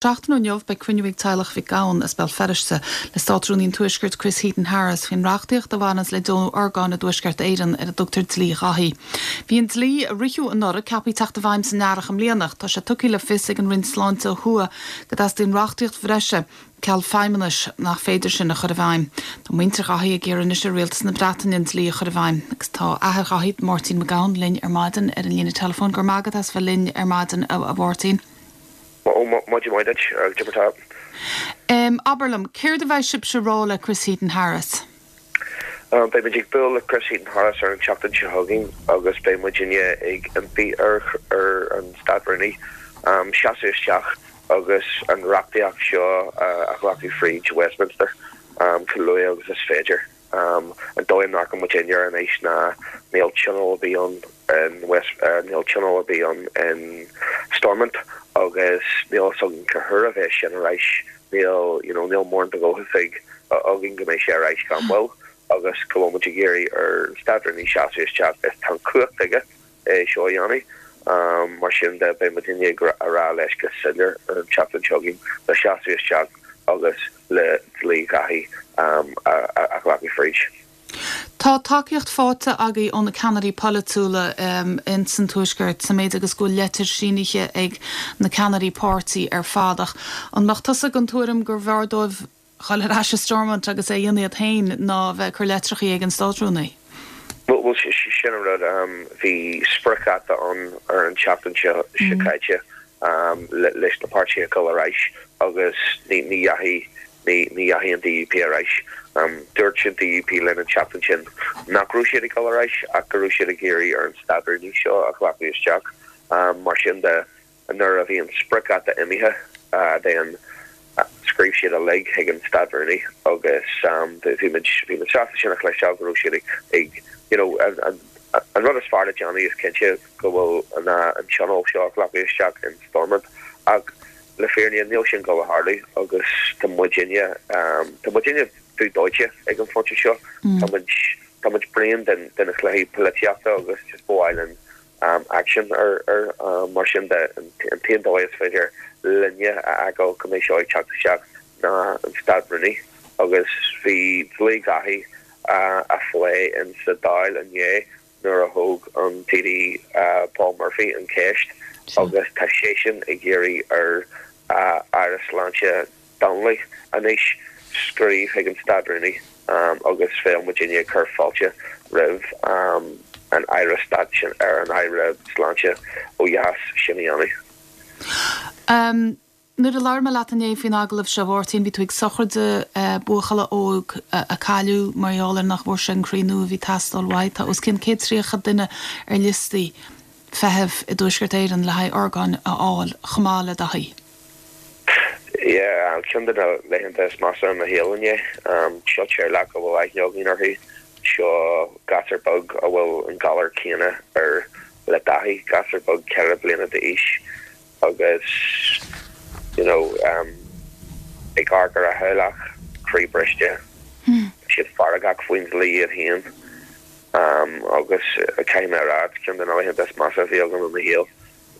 Seachtain ó inniu beidh cruinniú ag teaghlach Mhic Gabhann as Béal Feirste le Státrúnaí an Tuaiscirt Chris Heaton-Harris faoin reachtaíocht a bhaineanns le deonú orgáin i dTuaisceart Éireann ar a dtugtar Dlí Dhaithí. Bhí an dlí, a ritheadh anuraidh, ceaptha teacht i bhfeidhm san earrach i mbliana ach tá sé tugtha le fios ag an Roinn Sláinte ó thuaidh go dteastaíonn reachtaíocht bhreise ceal Feidhmeannais nach féidir sin a chur i bhfeidhm. Tá muintir Dhaithí ag iarraidh anois ar Rialtas na Breataine an dlí a chur i bhfeidhm agus tá athair Dhaithí, Máirtín Mac Gabhann, linn ar maidin ar an líne teileafóin. Go raibh maith agat as bheith linn ar maidin, a Mháirtín. Maidin mhaith duit, cad é mar atá. Abair liom, céard a bheidh sibhse a rá le Chris Heaton-Harris? Beidh muid ag bualadh le Chris Heaton-Harris ar an tseachtain seo chugainn agus beidh muidinne ag impí ar an Stát Rúnaí seasamh isteach agus an reachtaíocht seo a ghlacadh fríd Westminster chomh luath agus is féidir. An dóigh a ndearcann muidinne air anois ná níl tionól ar bith ann in West, níl tionól ar bith ann in Stormont agus níl fhios againn cá huair a bheas sin ar ais. Níl, you know, níl mórán de dhóchas ag, againn go mbeidh sé ar ais gan mhoill agus go bhfuil muid ag iarraidh ar an Stát-Rúnaí seasamh isteach is tá an chumhacht aige é seo a dhéanamh. Mar sin de, beidh muidinne ag rá leis go soiléir an tseachtain seo chugainn le seasamh isteach agus le dlí Dhaithí a ghlacadh fríd. Tá tacaíocht faighte agaibh ó na ceannairí polaitiúla ins an Tuaisceart, sa méid agus go bhfuil leitir sínithe ag na ceannairí páirtí ar fad, ach an mbeadh tusa den tuairim gurbh fhearr dóibh dhul ar ais i Stormont agus é a dhéanamh iad féin ná a bheith ag cur leitreachaí ag an Státrúnaí? Bhuel, sin an rud. Bhí spriocdháta ann ar an tseachtain seo caite leis na páirtithe a dhul ar ais agus ní dheachaigh ní dheachaigh an DUP ar ais. Dúirt an DUP linn an tseachtain sin nach raibh siad ag dul ar ais ach go raibh siad ag iarraidh ar an Státrúnaí seo a ghlacadh isteach. Mar sin de, Nuair a bhí an spriocdháta imithe then scríobh siad uilig chuig an Stát-Rúnaí agus bhí muid bhí muid sásta sin a chloisteáil go raibh siad ag you know an an rud is fearr le déanamh is cinnte go bhfuil ná an tionól seo a ghlacadh isteach in Stormont ach le fírinne níl sin ag dul a tharlú agus tá muidinne tá muidinne dubh dóite ag an phointe seo tá muid tá muid bréan den den chluichí polaitíochta agus just ba mhaith linn aicsean air. Mar sin de, an t-aon dóigh is féidir linne a fheiceáil go mbeidh seo ag teacht isteach ná an Stát-Rúnaí agus bhí dlí Dhaithí á phlé in sa Dáil inné nuair a thóg an TD Paul Murphy an cheist agus tá seisean ag iarraidh ar Aire Sláinte Donnelly anois scríobh chuig an Stát-Rúnaí agus bheadh muidinne ag cur fáilte roimh an Aire Stáit sin, ar an Aire Sláinte ó dheas sin a dhéanamh. Nuair a labhair mé leat inné faoin agallamh seo, a Mháirtín, bhí tú ag sochraid buachalla óg a cailleadh mar gheall ar nach bhfuair sé an croí nua a bhí ag teastáil uaidh. Tá os cionn 130 duine ar liostaí feithimh i dTuaisceart Éireann le haghaidh orgáin a fháil, chomh maith le Daithí. Yeah, ceann de na laethanta is measa i mo shaol inné. Seo teaghlach a bhfuil aithne againn orthu. Seo gasúr beag a bhfuil an galar céanna air le Daithí, gasúr beag 4 bliana d'aois agus you know ag amharc ar a theaghlach, croí briste. Tá siad feargach faoin dlí iad féin agus caithfidh mé a rá, ceann de na laethanta is measa a bhí agam i mo shaol.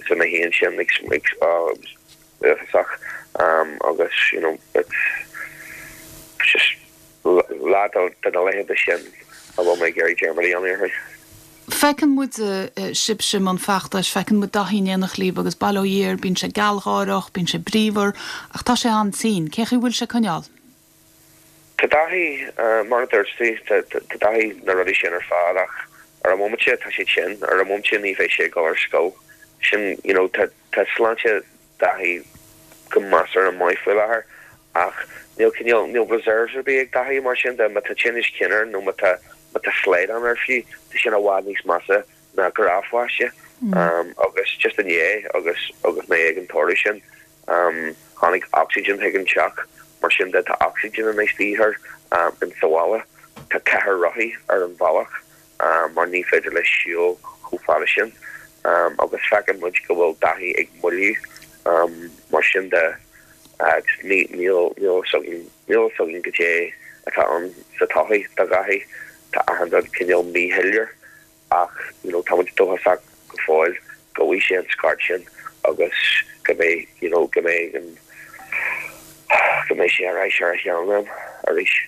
Is mé féin sin ag uafásach agus you know it's just lá de na laethanta sin a bhfuil mé ag iarraidh dearmad a dhéanamh orthu. Feiceann muid sibhse i mbun feachtais, feiceann muid Daithí in éineacht libh agus bail ó Dhia air, bíonn sé gealgháireach, bíonn sé bríomhar ach tá sé an-tinn. Cén chaoi a bhfuil sé ag coinneáil? Tá Daithí, mar a dúirt tú, tá Daithí na rudaí sin ar fad ach ar an bhomaite tá sé tinn, ar an bhomaite ní bheidh sé ag dul ar scoil. Sin, you know, tá, tá sláinte Daithí go measartha maith faoi láthair ach níl cineál, níl reserves ar bith ag Daithí mar sin de, má tá tinneas cinn air nó má tá, má tá slaghdán air fiú, tá sin i bhfad níos measa ná gnáthpháiste. Agus just inné agus, agus mé ag an tórramh sin, Tháinig ocsaigin chuig an teach, mar sin de tá ocsaigin anois de dhíth air in sa bhaile. Tá cathaoir rothaí ar an bhealach mar ní féidir leis siúl chomh fada sin agus feiceann muid go bhfuil Daithí ag moilliú mar sin de agus níl níl fhios againn níl fhios againn goidé atá ann sa todhchaí do Dhaithí. Tá achan rud cineál míshoiléir. Ach you know tá muid dóchasach go fóill go bhfaighidh sé an scairt sin agus go mbeidh you know go mbeidh an. go mbeidh sé ar ais ar a sheanléim arís.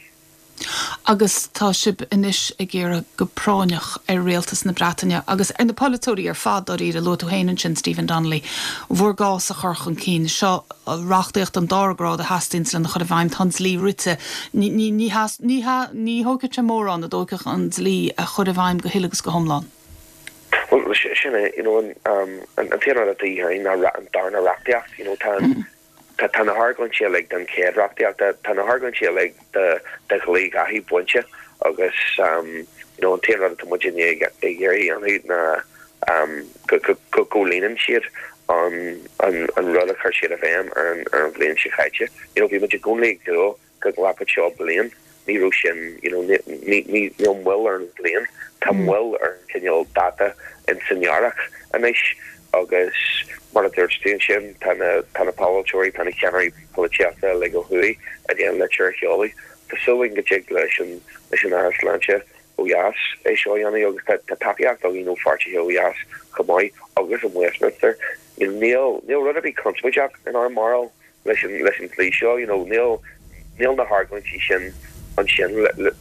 Agus tá sibh anois ag iarraidh go práinneach ar Rialtas na Breataine agus ar na polaiteoirí ar fad dáiríre, luaigh tú féin ansin Stephen Donnelly, bhur gcás a chur chun cinn. Seo reachtaíocht den dara grád a theastaíonns lena chur i bhfeidhm. Tá an dlí rite. Ní ní thógfadh sé mórán a dóigh an dlí a chur i bhfeidhm go huile agus go hiomlán. Bhuel, sin é, you know, an t-aon rud atá de dhíth orainn ná an darna reachtaíocht, you know, tá an, Tá na hargóintí uilig don chéad reachtaíocht, tá na hargóintí uilig do dhlí Dháithí bainte agus you know an t-aon rud atá muid i ndiaidh ag iarraidh a dhéanamh ná go gcomhlíonann siad an rud a chuir siad i bhfeidhm ar an bhliain seo caite. You know bhí muid i gcónaí ag dúil go nglacfadh seo bliain, ní raibh sin, you know, ní, ní, níl moill ar an bhliain, tá moill ar an cineál dáta in san earrach anois agus mar a dúirt tú ansin, tá na, tá na polaiteoirí, tá na ceannairí polaitíochta uilig ó thuaidh i ndiaidh an litir a sheoladh. Tá súil againn go dtig leis an, leis an Aire Sláinte ó dheas é seo a dhéanamh agus tá, tá tacaíocht againn ó pháirtithe ó dheas chomh maith agus in Westminster. Níl, níl rud ar bith conspóideach inár mbarúil. leis an leis an dlí seo you know níl níl na hargóintí sin ansin le le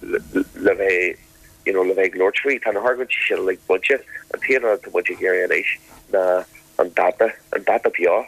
le bheith you know le bheith ag labhairt faoi. Tá na hargóintí sin uilig bainte. An t-aon rud atá muid ag iarraidh anois ná an dáta an dáta beo.